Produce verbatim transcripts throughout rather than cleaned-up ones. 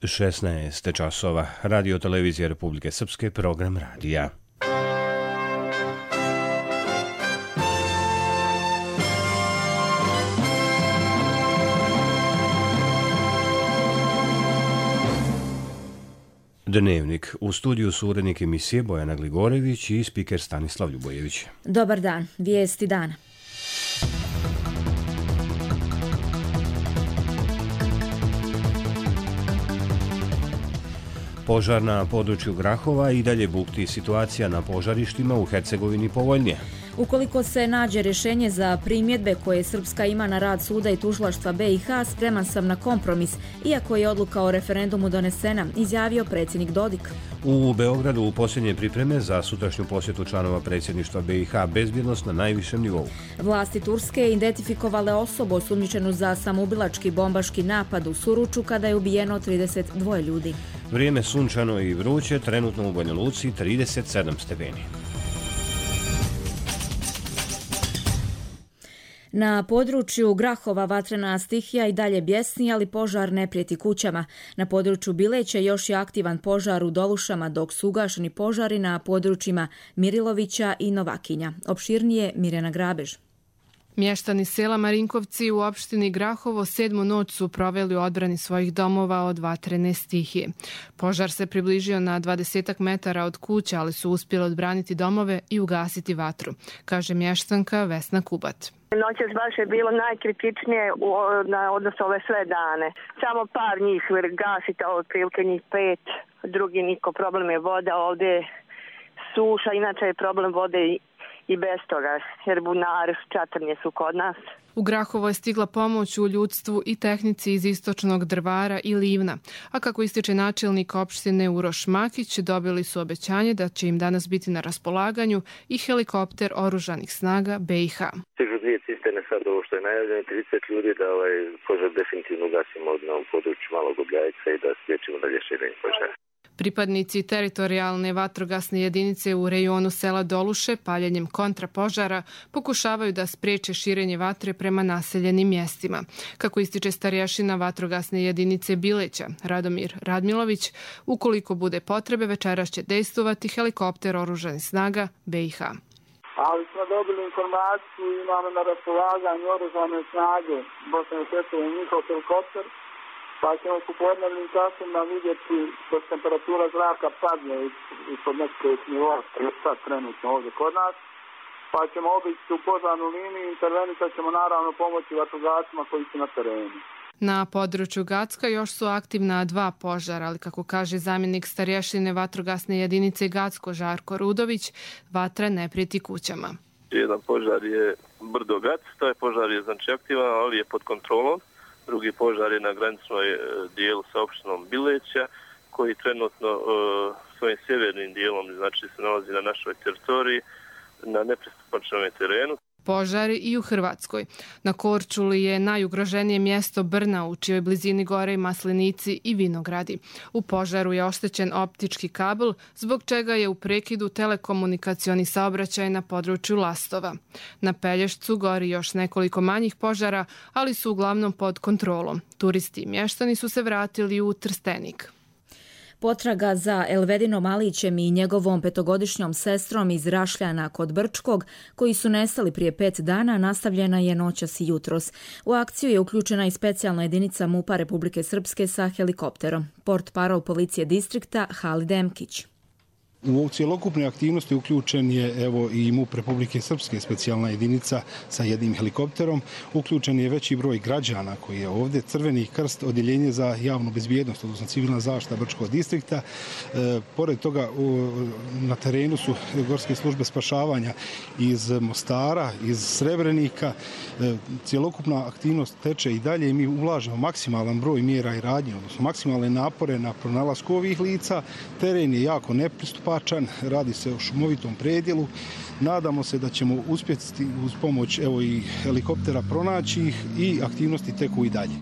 šesnaest časova. Radio televizija Republike Srpske, program radija. Dnevnik. U studiju su urednik emisije Bojana Gligorević i spiker Stanislav Ljubojević. Dobar dan. Vijesti dana. Požar na području Grahova i dalje bukti, situacija na požarištima u Hercegovini povoljnije. Ukoliko se nađe rješenje za primjedbe koje Srpska ima na rad suda i tužilaštva B i H, spreman sam na kompromis, iako je odluka o referendumu donesena, izjavio predsjednik Dodik. U Beogradu u posljednje pripreme za sutrašnju posjetu članova predsjedništva B i H, bezbjednost na najvišem nivou. Vlasti Turske identifikovale osobu osumnjičenu za samoubilački bombaški napad u Suruču kada je ubijeno trideset dva ljudi. Vrijeme sunčano i vruće, trenutno u Banja Luci trideset sedam stepeni. Na području Grahova vatrena stihija i dalje bjesni, ali požar ne prijeti kućama. Na području Bileća još je aktivan požar u Dolušama, dok su ugašeni požari na područjima Mirilovića i Novakinja. Opširnije Mirjana Grabež. Mještani sela Marinkovci u opštini Grahovo sedmu noć su proveli u odbrani svojih domova od vatrene stihije. Požar se približio na dvadesetak metara od kuća, ali su uspjeli odbraniti domove i ugasiti vatru, kaže mještanka Vesna Kubat. Noćas baš je bilo najkritičnije u, na odnosu ove sve dane. Samo par njih gasita, otprilike njih pet, drugi niko. Problem je voda, ovdje suša, inače je problem vode i i bez toga, jer bunari čatrnje su kod nas. U Grahovo je stigla pomoć u ljudstvu i tehnici iz istočnog Drvara i Livna, a kako ističe načelnik opštine Uroš Makić, dobili su obećanje da će im danas biti na raspolaganju i helikopter oružanih snaga B i H. Stižu dvije cisterne sad ovo što je najavljeno, trideset ljudi da ovaj požar definitivno ugasimo na ovom području Malog Obljajca i da spriječimo dalje širenje požara. Pripadnici teritorijalne vatrogasne jedinice u rejonu sela Doluše paljenjem kontrapožara pokušavaju da spriječe širenje vatre prema naseljenim mjestima. Kako ističe starješina vatrogasne jedinice Bileća, Radomir Radmilović, ukoliko bude potrebe, večeras će dejstvovati helikopter oružanih snaga B i H. Ali smo dobili informaciju, imamo na raspolaganju oružane snage Bosne i Hercegovine njihov helikopter, pa ćemo u popodnevnim časima vidjeti da temperatura zraka padne ispod nekog nivoa, sad trenutno ovdje kod nas, pa ćemo obići u požarnu liniju i intervenisat ćemo naravno pomoći vatrogascima koji su na terenu. Na području Gacka još su aktivna dva požara, ali kako kaže zamjenik starješine vatrogasne jedinice Gacko Žarko Rudović, vatra ne prijeti kućama. Jedan požar je brdo Gac, taj požar je znači aktivan, ali je pod kontrolom. Drugi požar je na graničnoj dijelu sa opštinom Bileća, koji trenutno uh, svojim sjevernim dijelom znači se nalazi na našoj teritoriji, na nepristupačnom terenu. Požari i u Hrvatskoj. Na Korčuli je najugroženije mjesto Brna, u čijoj blizini gore i maslinici i vinogradi. U požaru je oštećen optički kabel, zbog čega je u prekidu telekomunikacioni saobraćaj na području Lastova. Na Pelješcu gori još nekoliko manjih požara, ali su uglavnom pod kontrolom. Turisti i mještani su se vratili u Trstenik. Potraga za Elvedinom Alićem i njegovom petogodišnjom sestrom iz Rašljana kod Brčkog, koji su nestali prije pet dana, nastavljena je noćas i jutros. U akciju je uključena i specijalna jedinica MUP-a Republike Srpske sa helikopterom. Portparol policije distrikta Halid Emkić. U cjelokupne aktivnosti uključen je evo i MUP Republike Srpske, specijalna jedinica sa jednim helikopterom. Uključen je veći broj građana koji je ovdje. Crveni krst, odjeljenje za javnu bezbjednost, odnosno civilna zaštita Brčkog distrikta. E, pored toga u, na terenu su gorske službe spašavanja iz Mostara, iz Srebrenika. E, cjelokupna aktivnost teče i dalje i mi ulažemo maksimalan broj mjera i radnje, odnosno maksimalne napore na pronalasku ovih lica. Teren je jako nepristupačan. Radi se o šumovitom predjelu. Nadamo se da ćemo uspjeti uz pomoć evo i helikoptera pronaći ih i aktivnosti teku i dalje.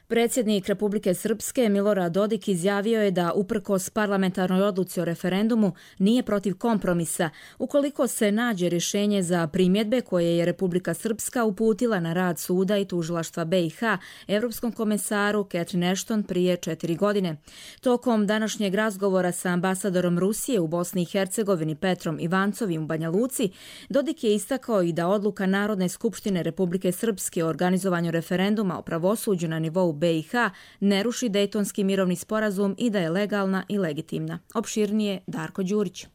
Predsjednik Republike Srpske Milorad Dodik izjavio je da uprkos parlamentarnoj odluci o referendumu nije protiv kompromisa ukoliko se nađe rješenje za primjedbe koje je Republika Srpska uputila na rad suda i tužilaštva B i H Evropskom komesaru Catherine Ashton prije četiri godine. Tokom današnjeg razgovora sa ambasadorom Rusije u Bosni i Hercegovini Petrom Ivancovim u Banja Luci, Dodik je istakao i da odluka Narodne skupštine Republike Srpske o organizovanju referenduma o pravosuđu na nivou B i H ne ruši Dejtonski mirovni sporazum i da je legalna i legitimna. Opširnije Darko Đurić.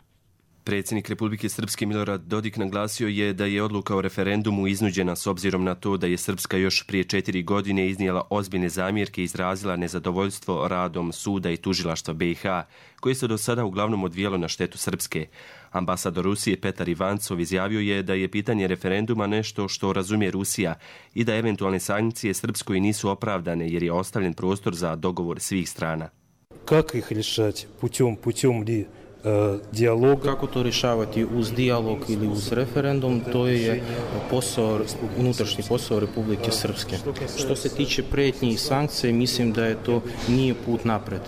Predsjednik Republike Srpske Milorad Dodik naglasio je da je odluka o referendumu iznuđena s obzirom na to da je Srpska još prije četiri godine iznijela ozbiljne zamjerke i izrazila nezadovoljstvo radom suda i tužilaštva B i H, koje se do sada uglavnom odvijalo na štetu Srpske. Ambasador Rusije Petar Ivancov izjavio je da je pitanje referenduma nešto što razumije Rusija i da eventualne sankcije Srpskoj nisu opravdane jer je ostavljen prostor za dogovor svih strana. Kako ih rješati? Putem, putem li dijalog? Kako to rješavati, uz dijalog ili uz referendum, to je posao, unutrašnji posao Republike Srpske. Što se tiče prijetnji i sankcije, mislim da je to nije put napred.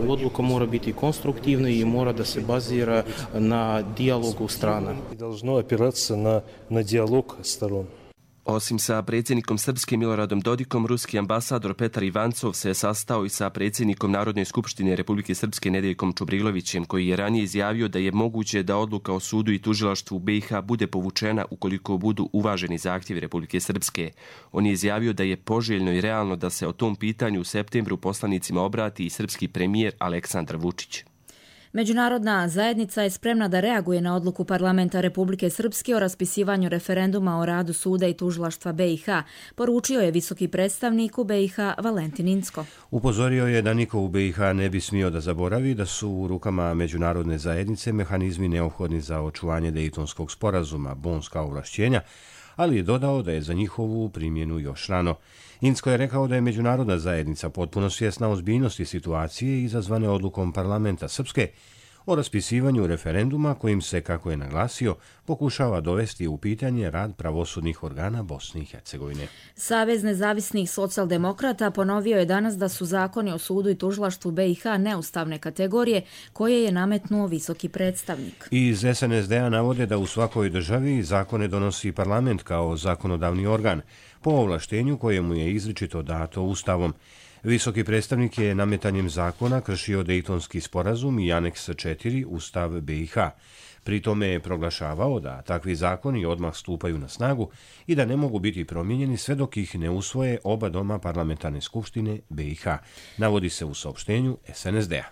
Odluka mora biti konstruktivna i mora da se bazira na dijalogu strana. Должно опираться на, на диалог сторон. Osim sa predsjednikom Srpske Miloradom Dodikom, ruski ambasador Petar Ivancov se sastao i sa predsjednikom Narodne skupštine Republike Srpske Nedeljkom Čubrilovićem, koji je ranije izjavio da je moguće da odluka o sudu i tužilaštvu B i H bude povučena ukoliko budu uvaženi zahtjevi Republike Srpske. On je izjavio da je poželjno i realno da se o tom pitanju u septembru poslanicima obrati i srpski premijer Aleksandar Vučić. Međunarodna zajednica je spremna da reaguje na odluku parlamenta Republike Srpske o raspisivanju referenduma o radu suda i tužilaštva B i H, poručio je visoki predstavnik u B i H Valentin Incko. Upozorio je da niko u B i H ne bi smio da zaboravi da su u rukama međunarodne zajednice mehanizmi neophodni za očuvanje Dejtonskog sporazuma, bonska ovlašćenja, ali je dodao da je za njihovu primjenu još rano. Incko je rekao da je međunarodna zajednica potpuno svjesna ozbiljnosti situacije izazvane odlukom parlamenta Srpske o raspisivanju referenduma kojim se, kako je naglasio, pokušava dovesti u pitanje rad pravosudnih organa Bosne i Hercegovine. Savez nezavisnih socijaldemokrata ponovio je danas da su zakoni o sudu i tužilaštvu B i H neustavne kategorije koje je nametnuo visoki predstavnik. Iz S N S D-a navode da u svakoj državi zakone donosi parlament kao zakonodavni organ, po ovlaštenju kojemu je izričito dato Ustavom. Visoki predstavnik je nametanjem zakona kršio Dejtonski sporazum i aneks četiri Ustav B i H. Pri tome je proglašavao da takvi zakoni odmah stupaju na snagu i da ne mogu biti promijenjeni sve dok ih ne usvoje oba doma parlamentarne skupštine B i H, navodi se u saopštenju S N S D-a.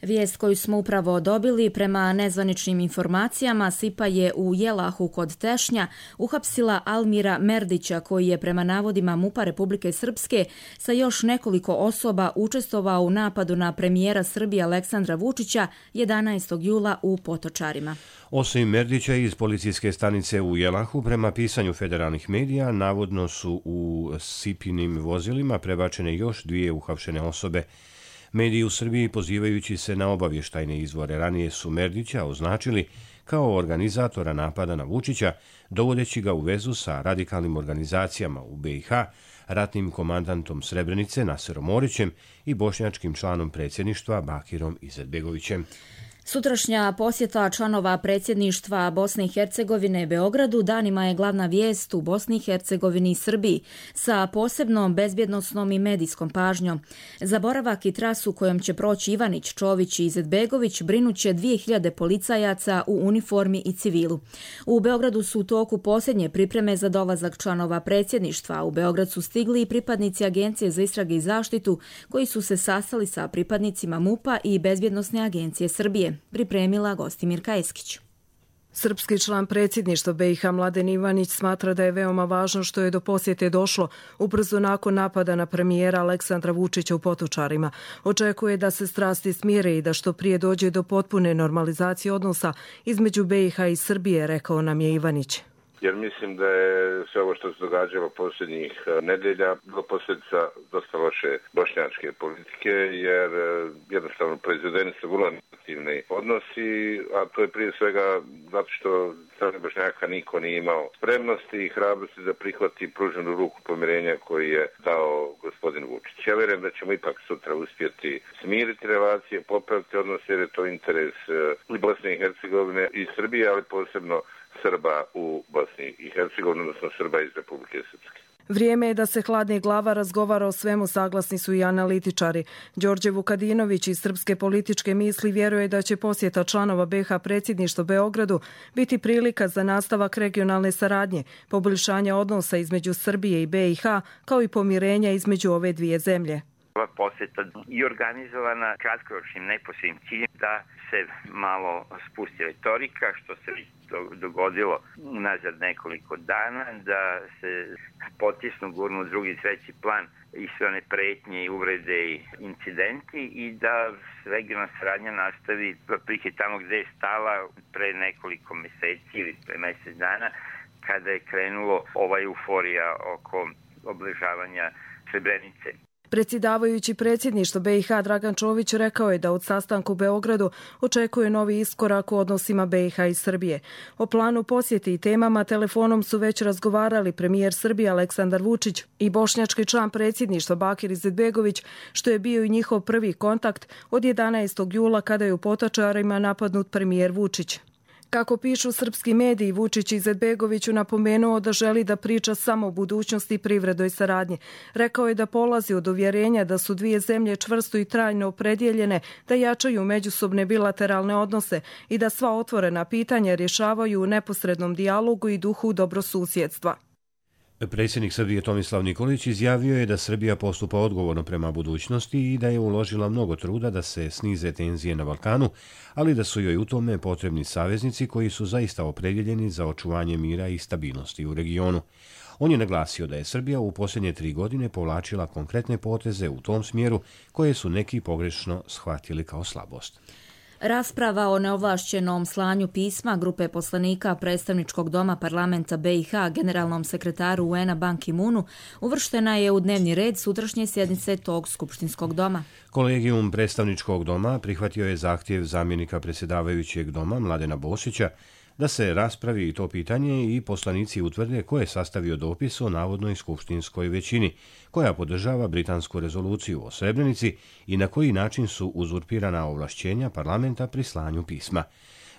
Vijest koju smo upravo dobili, prema nezvaničnim informacijama, Sipa je u Jelahu kod Tešnja uhapsila Almira Merdića, koji je prema navodima MUP-a Republike Srpske sa još nekoliko osoba učestvovao u napadu na premijera Srbije Aleksandra Vučića jedanaestog jula u Potočarima. Osim Merdića iz policijske stanice u Jelahu, prema pisanju federalnih medija, navodno su u Sipinim vozilima prebačene još dvije uhapšene osobe. Mediji u Srbiji, pozivajući se na obavještajne izvore, ranije su Merdića označili kao organizatora napada na Vučića, dovodeći ga u vezu sa radikalnim organizacijama u B i H, ratnim komandantom Srebrenice Naserom Orićem i bošnjačkim članom predsjedništva Bakirom Izetbegovićem. Sutrašnja posjeta članova predsjedništva Bosne i Hercegovine Beogradu danima je glavna vijest u Bosni i Hercegovini i Srbiji sa posebnom bezbjednosnom i medijskom pažnjom. Za boravak i trasu kojom će proći Ivanić, Čović i Izetbegović brinuće dvije hiljade policajaca u uniformi i civilu. U Beogradu su u toku posljednje pripreme za dolazak članova predsjedništva. U Beograd su stigli i pripadnici Agencije za istrage i zaštitu koji su se sastali sa pripadnicima MUP-a i Bezbjednosne agencije Srbije. Pripremila Gostimirka Eskić. Srpski član predsjedništva B i H Mladen Ivanić smatra da je veoma važno što je do posjete došlo ubrzo nakon napada na premijera Aleksandra Vučića u Potočarima. Očekuje da se strasti smire i da što prije dođe do potpune normalizacije odnosa između B i H i Srbije, rekao nam je Ivanić. Jer mislim da je sve ovo što se događalo posljednjih nedelja bilo posljedica dosta loše bošnjačke politike, jer jednostavno proizvedeni su vrlo negativni odnosi, a to je prije svega zato što strane Bošnjaka niko nije imao spremnosti i hrabrosti da prihvati pruženu ruku pomirenja koji je dao gospodin gospodin Vučić. Ja vjerujem da ćemo ipak sutra uspjeti smiriti relacije, popraviti odnose jer je to interes i Bosne i Hercegovine i Srbije, ali posebno Srba u Bosni i Hercegovini, odnosno Srba iz Republike Srpske. Vrijeme je da se hladni glava razgovara o svemu, saglasni su i analitičari. Đorđe Vukadinović iz Srpske političke misli vjeruje da će posjeta članova be ha predsjedništva Beogradu biti prilika za nastavak regionalne saradnje, poboljšanja odnosa između Srbije i be i ha, kao i pomirenja između ove dvije zemlje. Ova posjeta je organizovana kratkoročnim neposrednim ciljem da se malo spusti retorika, što se dogodilo nazad nekoliko dana, da se potisnu, gurnu drugi, treći plan i sve one pretnje i uvrede i incidenti i da regionalna saradnja nastavi prike tamo gde je stala pre nekoliko mjeseci ili pre mjesec dana, kada je krenulo ova euforija oko obeležavanja Srebrenice. Predsjedavajući predsjedništvo be i ha Dragan Čović rekao je da od sastanka u Beogradu očekuje novi iskorak u odnosima be i ha i Srbije. O planu posjete i temama telefonom su već razgovarali premijer Srbije Aleksandar Vučić i bošnjački član predsjedništva Bakir Izetbegović, što je bio i njihov prvi kontakt od jedanaestog jula kada je u Potočarima napadnut premijer Vučić. Kako pišu srpski mediji, Vučić Izetbegoviću napomenuo da želi da priča samo o budućnosti i privrednoj saradnji. Rekao je da polazi od uvjerenja da su dvije zemlje čvrsto i trajno opredjeljene da jačaju međusobne bilateralne odnose i da sva otvorena pitanja rješavaju u neposrednom dijalogu i duhu dobrosusjedstva. Predsjednik Srbije Tomislav Nikolić izjavio je da Srbija postupa odgovorno prema budućnosti i da je uložila mnogo truda da se snize tenzije na Balkanu, ali da su joj u tome potrebni saveznici koji su zaista opredjeljeni za očuvanje mira i stabilnosti u regionu. On je naglasio da je Srbija u posljednje tri godine povlačila konkretne poteze u tom smjeru koje su neki pogrešno shvatili kao slabost. Rasprava o neovlašćenom slanju pisma grupe poslanika predstavničkog doma parlamenta be i ha generalnom sekretaru u en a Ban Ki-moonu uvrštena je u dnevni red sutrašnje sjednice tog skupštinskog doma. Kolegijum predstavničkog doma prihvatio je zahtjev zamjenika predsjedavajućeg doma Mladena Bosića da se raspravi i to pitanje i poslanici utvrde ko je sastavio dopis o navodnoj skupštinskoj većini, koja podržava britansku rezoluciju o Srebrenici i na koji način su uzurpirana ovlašćenja parlamenta pri slanju pisma.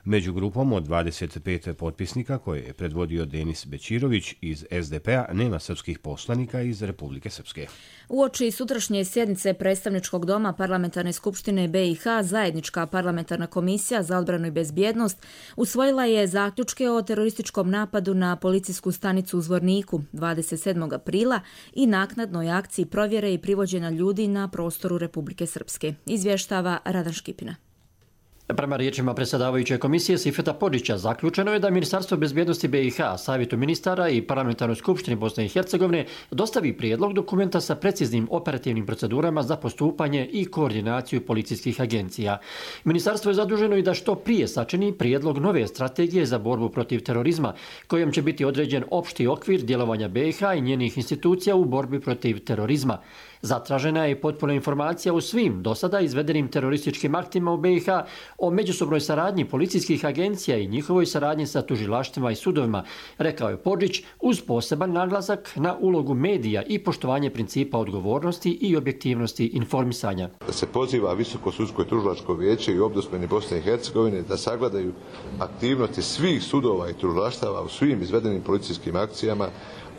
Među grupom od dvadeset pet potpisnika koje je predvodio Denis Bećirović iz es de pe a nema srpskih poslanika iz Republike Srpske. Uoči sutrašnje sjednice predstavničkog doma parlamentarne skupštine be i ha, zajednička parlamentarna komisija za odbranu i bezbjednost usvojila je zaključke o terorističkom napadu na policijsku stanicu u Zvorniku dvadeset sedmog aprila i naknadnoj akciji provjere i privođenja ljudi na prostoru Republike Srpske. Izvještava Radan Škipina. Prema riječima predsjedavajuće komisije Sifeta Podića, zaključeno je da Ministarstvo bezbjednosti be i ha, Savjetu ministara i Parlamentarnoj skupštini Bosne i Hercegovine dostavi prijedlog dokumenta sa preciznim operativnim procedurama za postupanje i koordinaciju policijskih agencija. Ministarstvo je zaduženo i da što prije sačini prijedlog nove strategije za borbu protiv terorizma, kojom će biti određen opšti okvir djelovanja be i ha i njenih institucija u borbi protiv terorizma. Zatražena je potpuna informacija o svim do sada izvedenim terorističkim aktima u be i ha, o međusobnoj saradnji policijskih agencija i njihovoj saradnji sa tužilaštvima i sudovima, rekao je Podžić, uz poseban naglasak na ulogu medija i poštovanje principa odgovornosti i objektivnosti informisanja. Da se poziva Visoko sudsko i tužilačko vijeće i ombudsmeni Bosne i Hercegovine da sagledaju aktivnosti svih sudova i tužilaštava u svim izvedenim policijskim akcijama,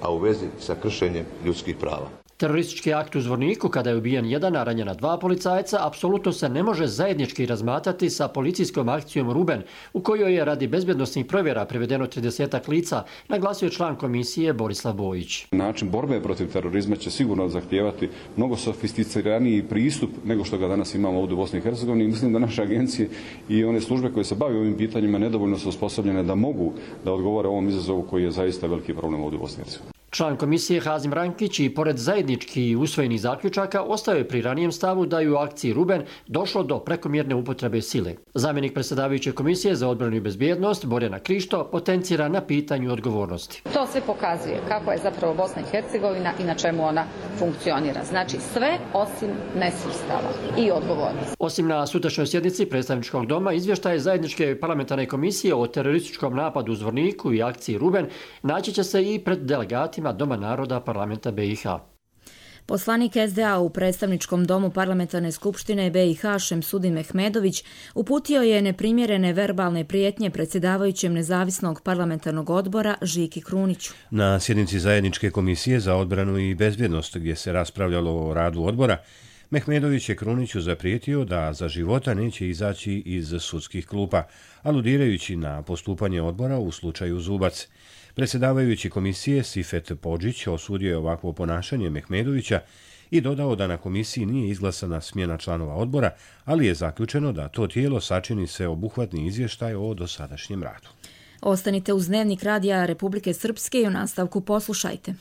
a u vezi sa kršenjem ljudskih prava. Teroristički akt u Zvorniku, kada je ubijen jedan, a ranjena dva policajca, apsolutno se ne može zajednički razmatrati sa policijskom akcijom Ruben, u kojoj je radi bezbjednosnih provjera privedeno tridesetak lica, naglasio član komisije Borislav Bojić. Način borbe protiv terorizma će sigurno zahtijevati mnogo sofisticiraniji pristup nego što ga danas imamo ovdje u Bosni i Hercegovini. Mislim da naše agencije i one službe koje se bave ovim pitanjima nedovoljno su osposobljene da mogu da odgovore ovom izazovu koji je zaista veliki problem ovdje u Bosni i Hercegovini. Član komisije Hazim Rankić i pored zajednički usvojenih zaključaka ostao je pri ranijem stavu da je u akciji Ruben došlo do prekomjerne upotrebe sile. Zamjenik predsjedavajuće komisije za odbranu i bezbjednost Borjana Krišto potencira na pitanju odgovornosti. To sve pokazuje kako je zapravo Bosna i Hercegovina i na čemu ona funkcionira. Znači sve osim nesustava i odgovornosti. Osim na sutrašnjoj sjednici predstavničkog doma, izvještaje zajedničke parlamentarne komisije o terorističkom napadu u Zvorniku i akciji Ruben naći će se i pred delegatima Doma naroda parlamenta be i ha. Poslanik es de a u predstavničkom domu parlamentarne skupštine be i ha Šemsudin Mehmedović uputio je neprimjerene verbalne prijetnje predsjedavajućem nezavisnog parlamentarnog odbora Žiki Kruniću. Na sjednici zajedničke komisije za odbranu i bezbjednost gdje se raspravljalo o radu odbora, Mehmedović je Kruniću zaprijetio da za života neće izaći iz sudskih klupa, aludirajući na postupanje odbora u slučaju Zubac. Predsjedavajući komisije Sifet Podžić osudio je ovakvo ponašanje Mehmedovića i dodao da na komisiji nije izglasana smjena članova odbora, ali je zaključeno da to tijelo sačini se obuhvatni izvještaj o dosadašnjem radu. Ostanite uz Dnevnik radija Republike Srpske i u nastavku poslušajte.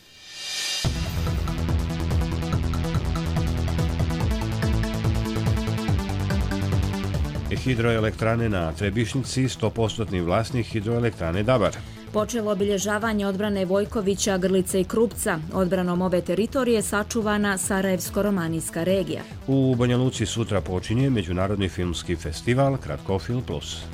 Hidroelektrane na Trebišnici, sto posto vlasnik hidroelektrane Dabar. Počelo obilježavanje odbrane Vojkovića, Grlice i Krupca. Odbranom ove teritorije sačuvana Sarajevsko-romanijska regija. U Banja Luci sutra počinje Međunarodni filmski festival Kratkofil plus.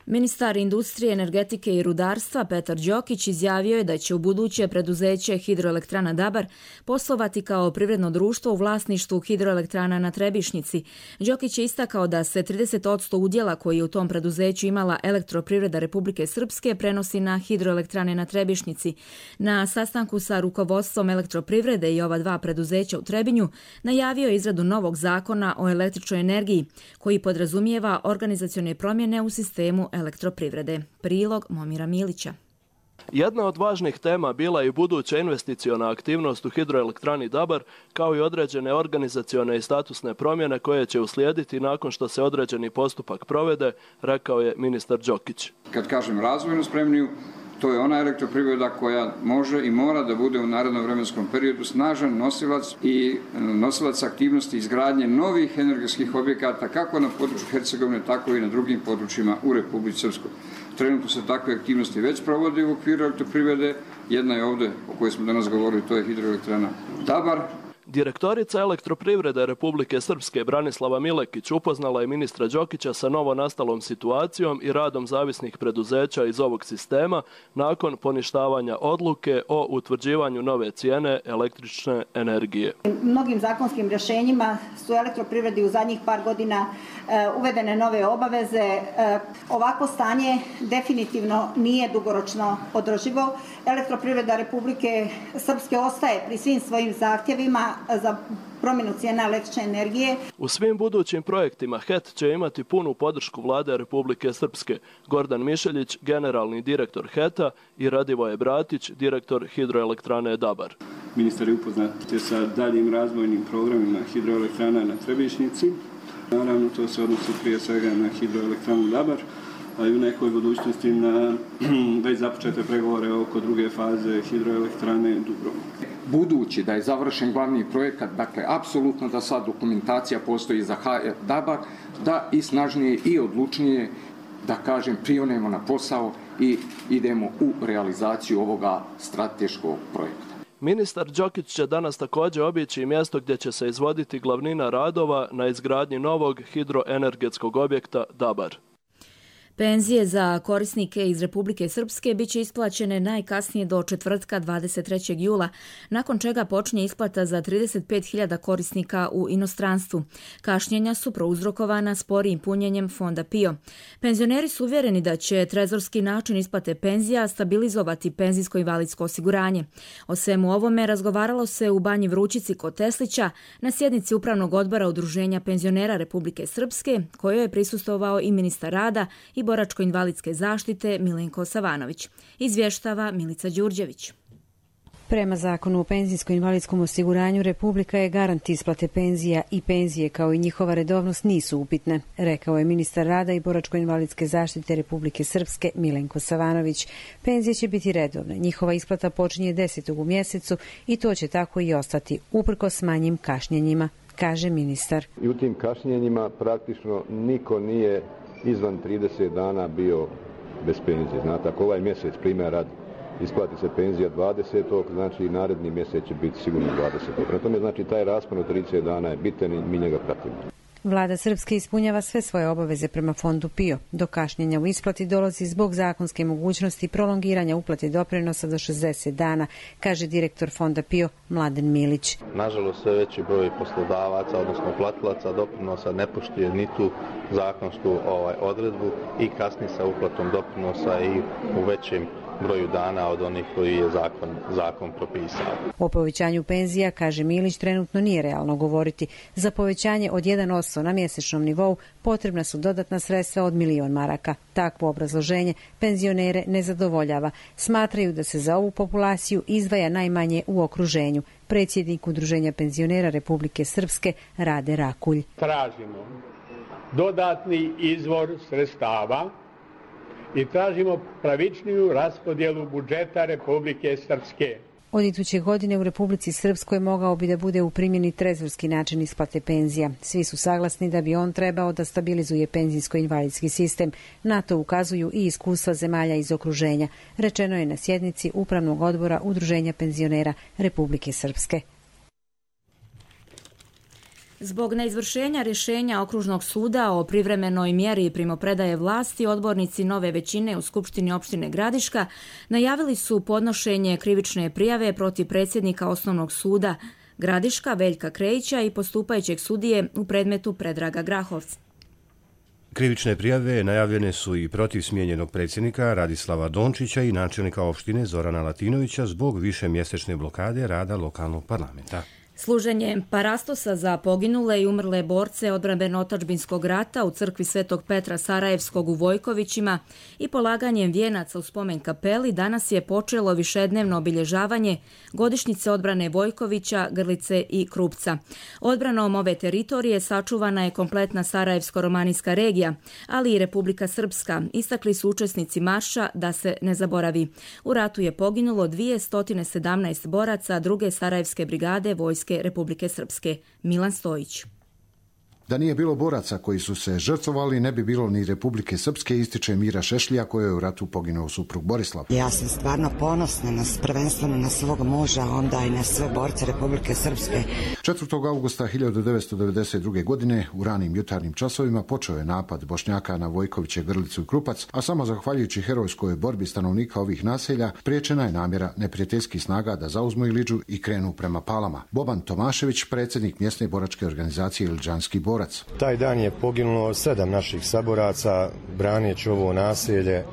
Ministar industrije, energetike i rudarstva Petar Đokić izjavio je da će u buduće preduzeće Hidroelektrana Dabar poslovati kao privredno društvo u vlasništvu hidroelektrana na Trebišnici. Đokić je istakao da se trideset posto udjela koji je u tom preduzeću imala Elektroprivreda Republike Srpske prenosi na hidroelektrane na Trebišnici. Na sastanku sa rukovodstvom Elektroprivrede i ova dva preduzeća u Trebinju najavio je izradu novog zakona o električnoj energiji koji podrazumijeva organizacione promjene u sistemu Elektroprivrede. Prilog Momira Milića. Jedna od važnih tema bila je i buduća investiciona aktivnost u hidroelektrani Dabar, kao i određene organizacione i statusne promjene koje će uslijediti nakon što se određeni postupak provede, rekao je ministar Đokić. Kad kažem razvojno spremniju, to je ona elektroprivreda koja može i mora da bude u narednom vremenskom periodu snažan nosilac i nosilac aktivnosti izgradnje novih energetskih objekata kako na području Hercegovine, tako i na drugim područjima u Republici Srpskoj. Trenutno se takve aktivnosti već provode u okviru elektroprivrede. Jedna je ovdje o kojoj smo danas govorili, to je hidroelektrana Dabar. Direktorica Elektroprivrede Republike Srpske Branislava Milekić upoznala je ministra Đokića sa novo nastalom situacijom i radom zavisnih preduzeća iz ovog sistema nakon poništavanja odluke o utvrđivanju nove cijene električne energije. Mnogim zakonskim rješenjima su elektroprivredi u zadnjih par godina uvedene nove obaveze. Ovako stanje definitivno nije dugoročno održivo. Elektroprivreda Republike Srpske ostaje pri svim svojim zahtjevima za promjenu cijena električne energije. U svim budućim projektima H E T će imati punu podršku Vlade Republike Srpske. Gordan Mišeljić, generalni direktor H E T-a i Radivoje Bratić, direktor hidroelektrane Dabar. Ministar je upoznat sa daljim razvojnim programima hidroelektrana na Trebišnici. Naravno, to se odnosi prije svega na hidroelektranu Dabar, a i u nekoj budućnosti na već započete pregovore oko druge faze hidroelektrane Dubrovnik. Budući da je završen glavni projekat, dakle, apsolutno da sad dokumentacija postoji za H E T Dabar, da i snažnije i odlučnije, da kažem, prionemo na posao i idemo u realizaciju ovoga strateškog projekta. Ministar Đokić će danas također obići mjesto gdje će se izvoditi glavnina radova na izgradnji novog hidroenergetskog objekta Dabar. Penzije za korisnike iz Republike Srpske bit će isplaćene najkasnije do četvrtka dvadeset trećeg jula, nakon čega počinje isplata za trideset pet hiljada korisnika u inostranstvu. Kašnjenja su prouzrokovana sporijim punjenjem fonda P I O. Penzioneri su uvjereni da će trezorski način isplate penzija stabilizovati penzijsko-invalidsko osiguranje. O svemu ovome razgovaralo se u Banji Vrućici kod Teslića na sjednici Upravnog odbora Udruženja penzionera Republike Srpske, kojoj je prisustvovao i ministar rada i boračko-invalidske zaštite Milenko Savanović. Izvještava Milica Đurđević. Prema zakonu o penzijsko-invalidskom osiguranju, Republika je garant isplate penzija i penzije kao i njihova redovnost nisu upitne, rekao je ministar rada i boračko-invalidske zaštite Republike Srpske Milenko Savanović. Penzije će biti redovne, njihova isplata počinje desetog u mjesecu i to će tako i ostati, uprkos manjim kašnjenjima, kaže ministar. I u tim kašnjenjima praktično niko nije izvan trideset dana bio bez penzije. Znate, ako ovaj mjesec primjer rad isplati se penzija dvadesetog, znači i naredni mjesec će biti sigurno dvadesetog. Prema tome, znači, taj raspon od trideset dana je bitan i mi njega pratimo. Vlada Srpske ispunjava sve svoje obaveze prema fondu P I O. Do kašnjenja u isplati dolazi zbog zakonske mogućnosti prolongiranja uplate doprinosa do šezdeset dana, kaže direktor fonda P I O Mladen Milić. Nažalost, sve veći broj poslodavaca, odnosno platilaca doprinosa ne poštuje ni tu zakonsku ovaj, odredbu i kasni sa uplatom doprinosa i u većem broju dana od onih koji je zakon, zakon propisao. O povećanju penzija, kaže Milić, trenutno nije realno govoriti. Za povećanje od jedan posto na mjesečnom nivou potrebna su dodatna sredstva od milion maraka. Takvo obrazloženje penzionere ne zadovoljava. Smatraju da se za ovu populaciju izdvaja najmanje u okruženju. Predsjednik Udruženja penzionera Republike Srpske Rade Rakulj. Tražimo dodatni izvor sredstava i tražimo pravičniju raspodjelu budžeta Republike Srpske. Od iduće godine u Republici Srpskoj mogao bi da bude u primjeni trezorski način isplate penzija. Svi su saglasni da bi on trebao da stabilizuje penzijsko-invalidski sistem. Na to ukazuju i iskustva zemalja iz okruženja. Rečeno je na sjednici Upravnog odbora Udruženja penzionera Republike Srpske. Zbog neizvršenja rješenja Okružnog suda o privremenoj mjeri primopredaje vlasti, odbornici nove većine u Skupštini opštine Gradiška najavili su podnošenje krivične prijave protiv predsjednika Osnovnog suda Gradiška Veljka Krejića i postupajućeg sudije u predmetu Predraga Grahovca. Krivične prijave najavljene su i protiv smijenjenog predsjednika Radislava Dončića i načelnika opštine Zorana Latinovića zbog višemjesečne blokade rada lokalnog parlamenta. Služenje parastosa za poginule i umrle borce odbrambeno-otadžbinskog rata u crkvi Svetog Petra Sarajevskog u Vojkovićima i polaganjem vijenaca u spomen kapeli danas je počelo višednevno obilježavanje godišnjice odbrane Vojkovića, Grlice i Krupca. Odbranom ove teritorije sačuvana je kompletna Sarajevsko-romanijska regija, ali i Republika Srpska. Istakli su učesnici marša da se ne zaboravi. U ratu je poginulo dvjesto sedamnaest boraca druge Sarajevske brigade Vojske Republike Srpske. Milan Stojić. Da nije bilo boraca koji su se žrtvovali, ne bi bilo ni Republike Srpske, ističe Mira Šešlija, koja je u ratu poginuo suprug Borislav. Ja sam stvarno ponosna na, prvenstveno na svog muža, onda i na sve borce Republike Srpske. četvrtog avgusta hiljadu devetsto devedeset druge. godine u ranim jutarnjim časovima počeo je napad Bošnjaka na Vojkoviće, Grlicu i Krupac, a samo zahvaljujući herojskoj borbi stanovnika ovih naselja priječena je namjera neprijateljskih snaga da zauzmu Iliđu i krenu prema Palama. Boban Tomašević, predsjednik mjesne boračke organizacije Iliđanski borac. Taj dan je poginulo sedam naših saboraca braneći ovo naselje,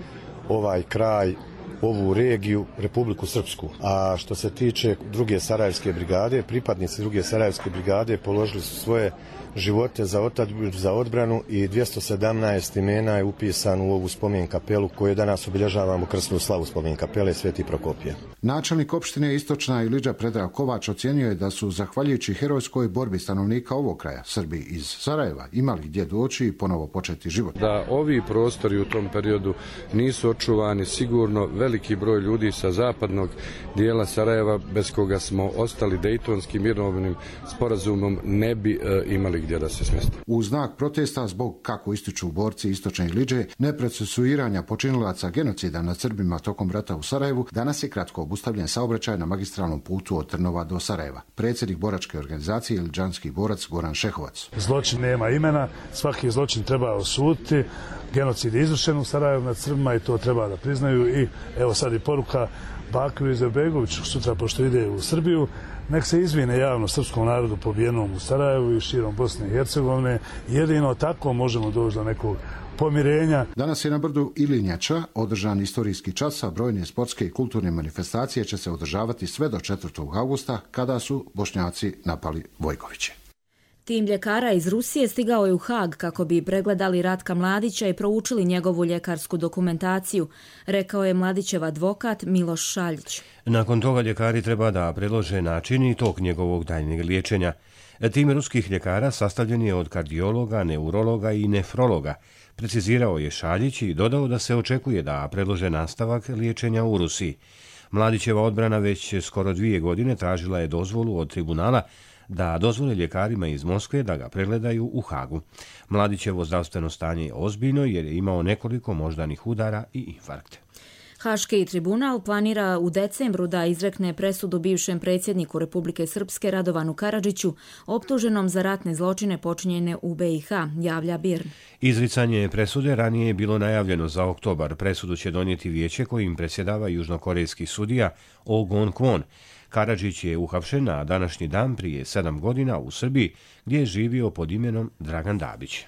ovaj kraj, ovu regiju, Republiku Srpsku. A što se tiče druge Sarajevske brigade, pripadnici druge Sarajevske brigade položili su svoje živote za otadžbinu, za odbranu i dvjesto sedamnaest imena je upisano u ovu spomen kapelu koju danas obilježavamo krsnu slavu spomen kapele Sveti Prokopije. Načelnik opštine Istočna Iliđa Predrag Kovač ocijenio je da su, zahvaljujući herojskoj borbi stanovnika ovog kraja, Srbi iz Sarajeva imali gdje doći i ponovo početi život. Da ovi prostori u tom periodu nisu očuvani, sigurno veliki broj ljudi sa zapadnog dijela Sarajeva, bez koga smo ostali Dejtonskim mirovnim sporazumom, ne bi e, imali gdje da se smjeste. U znak protesta zbog, kako ističu borci Istočne Iliđe, neprocesuiranja počinilaca genocida nad Srbima tokom rata u Sarajevu, danas je kratko obustavljen saobraćaj na magistralnom putu od Trnova do Sarajeva. Predsjednik boračke organizacije Iliđanski borac Goran Šehovac. Zločin nema imena, svaki zločin treba osuditi. Genocid je izvršen u Sarajevu nad Srbima i to treba da priznaju. I evo sad i poruka Bakiju Izetbegoviću, sutra pošto ide u Srbiju, nek se izvine javno srpskom narodu pobijenom u Sarajevu i širom Bosne i Hercegovine. Jedino tako možemo doći do nekog pomirenja. Danas je na brdu Ilinjača održan istorijski čas, a brojne sportske i kulturne manifestacije će se održavati sve do četvrtog avgusta, kada su Bošnjaci napali Vojkoviće. Tim ljekara iz Rusije stigao je u Hag kako bi pregledali Ratka Mladića i proučili njegovu ljekarsku dokumentaciju, rekao je Mladićev advokat Miloš Šaljić. Nakon toga ljekari treba da predlože način i tok njegovog daljnjeg liječenja. Tim ruskih ljekara sastavljen je od kardiologa, neurologa i nefrologa, precizirao je Šaljić i dodao da se očekuje da predlože nastavak liječenja u Rusiji. Mladićeva odbrana već skoro dvije godine tražila je dozvolu od tribunala da dozvole ljekarima iz Moskve da ga pregledaju u Hagu. Mladićevo zdravstveno stanje je ozbiljno jer je imao nekoliko moždanih udara i infarkte. Haški tribunal planira u decembru da izrekne presudu bivšem predsjedniku Republike Srpske Radovanu Karadžiću, optuženom za ratne zločine počinjene u B i H, javlja B I R N. Izricanje presude ranije je bilo najavljeno za oktobar. Presudu će donijeti vijeće kojim predsjedava južnokorejski sudija Oh Gon-kwon. Karadžić je uhapšen na današnji dan prije sedam godina u Srbiji, gdje je živio pod imenom Dragan Dabić.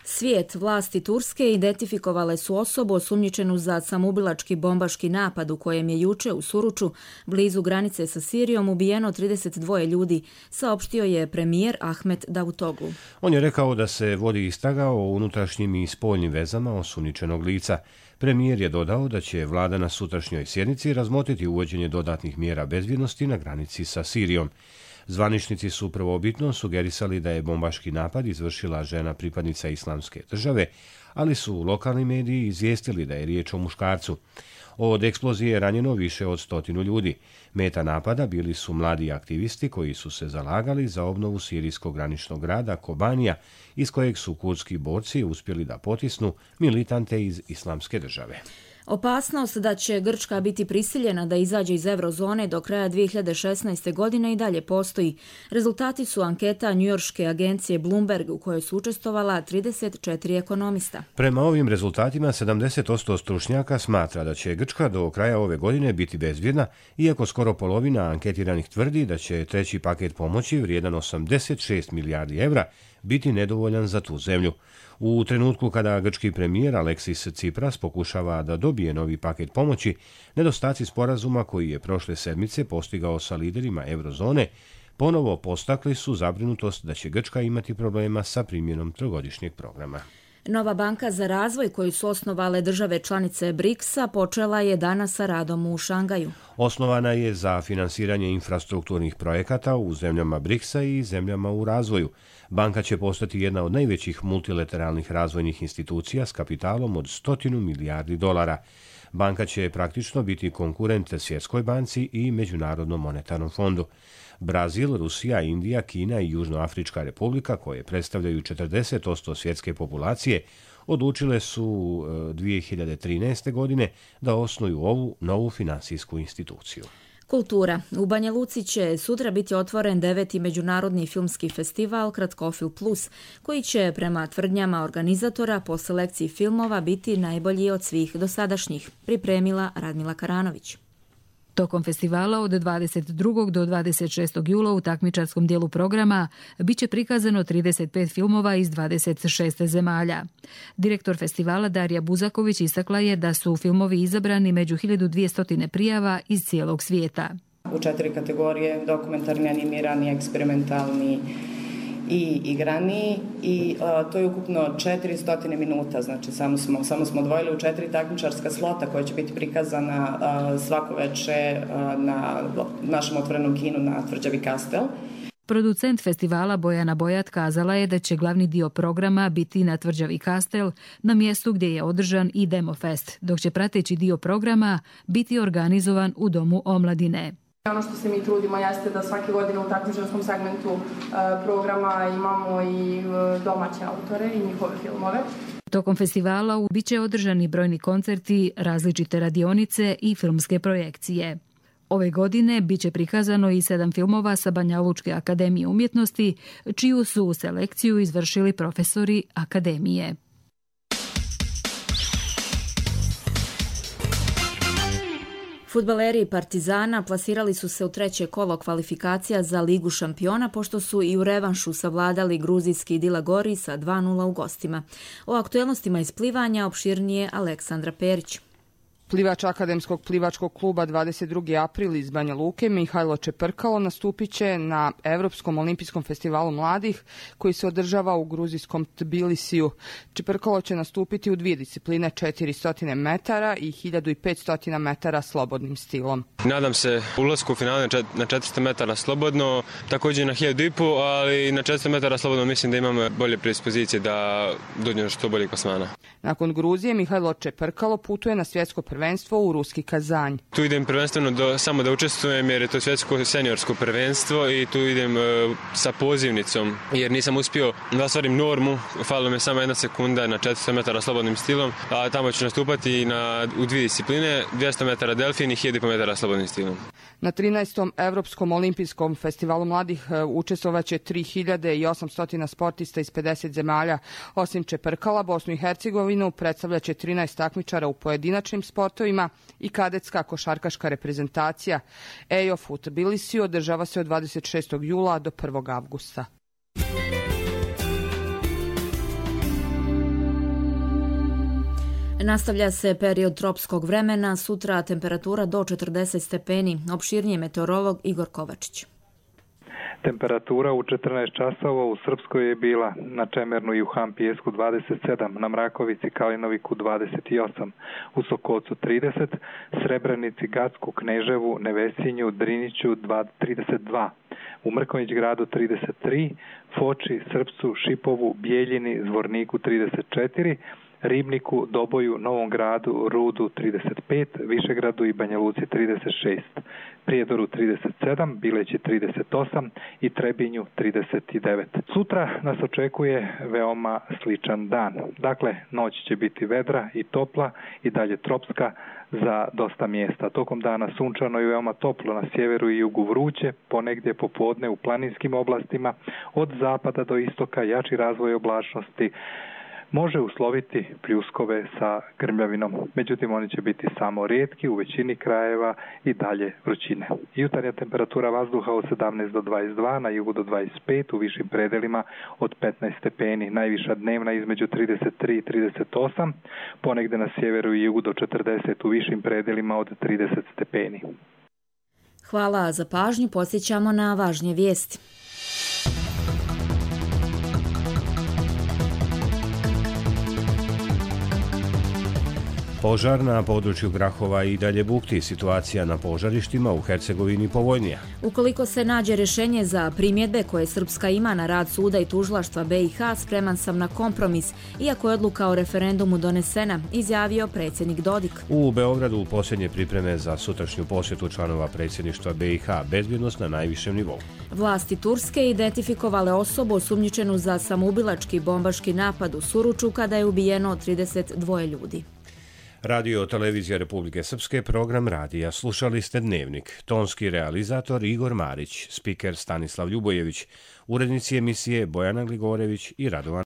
Svijet, vlasti Turske identifikovale su osobu osumnjičenu za samoubilački bombaški napad u kojem je juče u Suruču, blizu granice sa Sirijom, ubijeno trideset dva ljudi, saopštio je premijer Ahmet Davutoglu. On je rekao da se vodi istraga o unutrašnjim i spoljnim vezama osumnjičenog lica. Premijer je dodao da će vlada na sutrašnjoj sjednici razmotriti uvođenje dodatnih mjera bezbjednosti na granici sa Sirijom. Zvaničnici su prvobitno sugerisali da je bombaški napad izvršila žena pripadnica Islamske države, ali su lokalni mediji izvijestili da je riječ o muškarcu. Od eksplozije je ranjeno više od stotinu ljudi. Meta napada bili su mladi aktivisti koji su se zalagali za obnovu sirijskog graničnog grada Kobanija, iz kojeg su kurdski borci uspjeli da potisnu militante iz Islamske države. Opasnost da će Grčka biti prisiljena da izađe iz eurozone do kraja dvije hiljade šesnaeste. godine i dalje postoji. Rezultati su anketa njujorške agencije Bloomberg u kojoj su učestvovala trideset četiri ekonomista. Prema ovim rezultatima sedamdeset posto stručnjaka smatra da će Grčka do kraja ove godine biti bezbjedna, iako skoro polovina anketiranih tvrdi da će treći paket pomoći vrijedan osamdeset šest milijardi evra biti nedovoljan za tu zemlju. U trenutku kada grčki premijer Aleksis Tsipras pokušava da dobije novi paket pomoći, nedostaci sporazuma koji je prošle sedmice postigao sa liderima eurozone ponovo postakli su zabrinutost da će Grčka imati problema sa primjenom trogodišnjeg programa. Nova banka za razvoj koju su osnovale države članice briksa počela je danas sa radom u Šangaju. Osnovana je za finansiranje infrastrukturnih projekata u zemljama briksa i zemljama u razvoju. Banka će postati jedna od najvećih multilateralnih razvojnih institucija s kapitalom od stotinu milijardi dolara. Banka će praktično biti konkurent Svjetskoj banci i Međunarodnom monetarnom fondu. Brazil, Rusija, Indija, Kina i Južnoafrička republika, koje predstavljaju četrdeset posto svjetske populacije, odlučile su dvije hiljade trinaeste. godine da osnuju ovu novu finansijsku instituciju. Kultura. U Banja Luci će sutra biti otvoren deveti međunarodni filmski festival Kratkofil Plus, koji će prema tvrdnjama organizatora po selekciji filmova biti najbolji od svih dosadašnjih, pripremila Radmila Karanović. Tokom festivala od dvadeset drugog do dvadeset šestog jula u takmičarskom dijelu programa biće prikazano trideset pet filmova iz dvadeset šest zemalja. Direktor festivala Darija Buzaković istakla je da su filmovi izabrani među hiljadu dvjesto prijava iz cijelog svijeta. U četiri kategorije: dokumentarni, animirani, eksperimentalni i igrani, i uh, to je ukupno četiristo minuta, znači samo smo, samo smo odvojili u četiri takmičarska slota koja će biti prikazana uh, svako veče uh, na našem otvorenom kinu na Tvrđavi Kastel. Producent festivala Bojana Bojat kazala je da će glavni dio programa biti na Tvrđavi Kastel, na mjestu gdje je održan i Demofest, dok će prateći dio programa biti organizovan u Domu omladine. Ono što se mi trudimo jeste da svake godine u takmičarskom segmentu uh, programa imamo i uh, domaće autore i njihove filmove. Tokom festivala bit će održani brojni koncerti, različite radionice i filmske projekcije. Ove godine bit će prikazano i sedam filmova sa Banja Lučke akademije umjetnosti, čiju su selekciju izvršili profesori akademije. Fudbaleri Partizana plasirali su se u treće kolo kvalifikacija za Ligu šampiona, pošto su i u revanšu savladali gruzijski Dila Gori sa dva nula u gostima. O aktuelnostima iz plivanja opširnije Aleksandra Perić. Plivač Akademskog plivačkog kluba dvadeset drugi april iz Banja Luke Mihajlo Čeprkalo nastupit će na Evropskom olimpijskom festivalu mladih koji se održava u gruzijskom Tbilisiju. Čeprkalo će nastupiti u dvije discipline, četiristo metara i hiljadu petsto metara slobodnim stilom. Nadam se ulasku u finale na četiristo metara slobodno, također na hiljadu i po, ali na četiristo metara slobodno mislim da imamo bolje predispozicije da dođemo što bolje klasmana. Nakon Gruzije Mihajlo Čeprkalo putuje na svjetsko prvenstvo prvenstvo u ruski Kazanj. Tu idem prvenstveno do, samo da učestvujem jer je to svjetsko seniorsko prvenstvo i tu idem e, sa pozivnicom jer nisam uspio da ostvarim normu, falilo me samo jedna sekunda na četiristo metara slobodnim stilom, a tamo ću nastupati na, u dvije discipline, dvjesto metara delfin i hiljadu metara slobodnim stilom. Na trinaestom Evropskom olimpijskom festivalu mladih učestvovaće tri hiljade osamsto sportista iz pedeset zemalja. Osim Čeprkala, Bosnu i Hercegovinu predstavljaće trinaest takmičara u pojedinačnim sportovima i kadetska košarkaška reprezentacija. E I O F u Tbilisiju održava se od dvadeset šestog jula do prvog avgusta. Nastavlja se period tropskog vremena, sutra temperatura do četrdeset stepeni. Opširnije meteorolog Igor Kovačić. Temperatura u četrnaest časova u Srpskoj je bila na Čemernu i u Hampijesku dvadeset sedam, na Mrakovici, Kalinoviku dvadeset osam, u Sokocu trideset, Srebrenici, Gacku, Kneževu, Nevesinju, Driniću trideset dva, u Mrkonjić gradu trideset tri, Foči, Srpcu, Šipovu, Bijeljini, Zvorniku trideset četiri, Ribniku, Doboju, Novom gradu, Rudu trideset pet, Višegradu i Banja Luci trideset šest, Prijedoru trideset sedam, Bileći trideset osam i Trebinju trideset devet. Sutra nas očekuje veoma sličan dan. Dakle, noć će biti vedra i topla i dalje tropska za dosta mjesta. Tokom dana sunčano i veoma toplo na sjeveru i jugu vruće, ponegdje popodne u planinskim oblastima, od zapada do istoka jači razvoj oblačnosti može usloviti pljuskove sa grmljavinom. Međutim, oni će biti samo rijetki, u većini krajeva i dalje vrućine. Jutarnja temperatura vazduha od sedamnaest do dvadeset dva, na jugu do dvadeset pet, u višim predelima od petnaest stepeni. Najviša dnevna između trideset tri i trideset osam, ponegde na sjeveru i jugu do četrdeset, u višim predelima od trideset stepeni. Hvala za pažnju, podsjećamo na važnije vijesti. Požar na području Grahova i dalje bukti. Situacija na požarištima u Hercegovini povoljnija. Ukoliko se nađe rješenje za primjedbe koje Srpska ima na rad suda i tužilaštva B i H, spreman sam na kompromis, iako je odluka o referendumu donesena, izjavio predsjednik Dodik. U Beogradu posljednje pripreme za sutrašnju posjetu članova predsjedništva B i H, bezbjednost na najvišem nivou. Vlasti Turske identifikovale osobu osumnjičenu za samoubilački bombaški napad u Suruču kada je ubijeno trideset dva ljudi. Radio Televizija Republike Srpske, program radija. Slušali ste Dnevnik. Tonski realizator Igor Marić, spiker Stanislav Ljubojević, urednici emisije Bojana Gligorević i Radovan